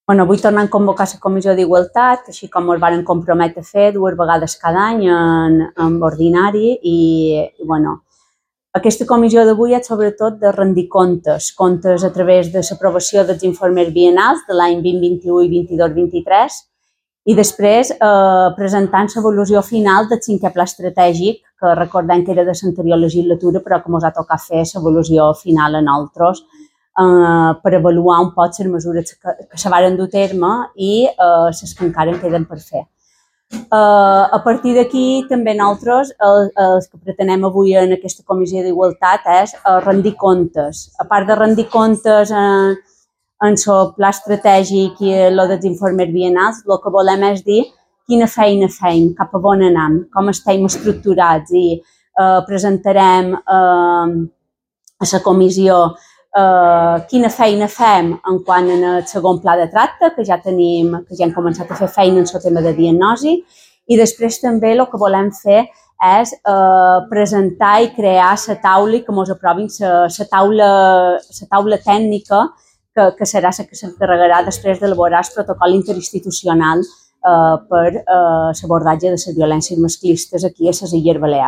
Avui tornem a convocar la Comissió d'Igualtat, així com ens varen comprometre a fer 2 vegades cada any en ordinari aquesta comissió d'avui és sobretot de rendir comptes a través de l'aprovació dels informes biennals de l'any 2021 i 22-23 i després presentant l'avaluació final del 5è pla estratègic, que recordem que era de l'anterior legislatura, però que ens ha tocat fer l'avaluació final a nosaltres per avaluar un poc les mesures que se varen dur a terme i les que encara en queden per fer. A partir d'aquí, també nosaltres, el que pretenem avui en aquesta Comissió d'Igualtat és rendir comptes. A part de rendir comptes en el pla estratègic i el dels informes biennals, el que volem és dir quina feina fem, cap a on anem, com estem estructurats i presentarem a la comissió quina feina fem en quant al segon pla de tracte, que ja hem començat a fer feina en el tema de diagnosi, i després també el que volem fer és presentar i crear la taula i que ens aprovin la taula tècnica que serà la que s'encarregarà després d'elaborar el protocol interinstitucional per l'abordatge de les violències masclistes aquí a les Illes Balears.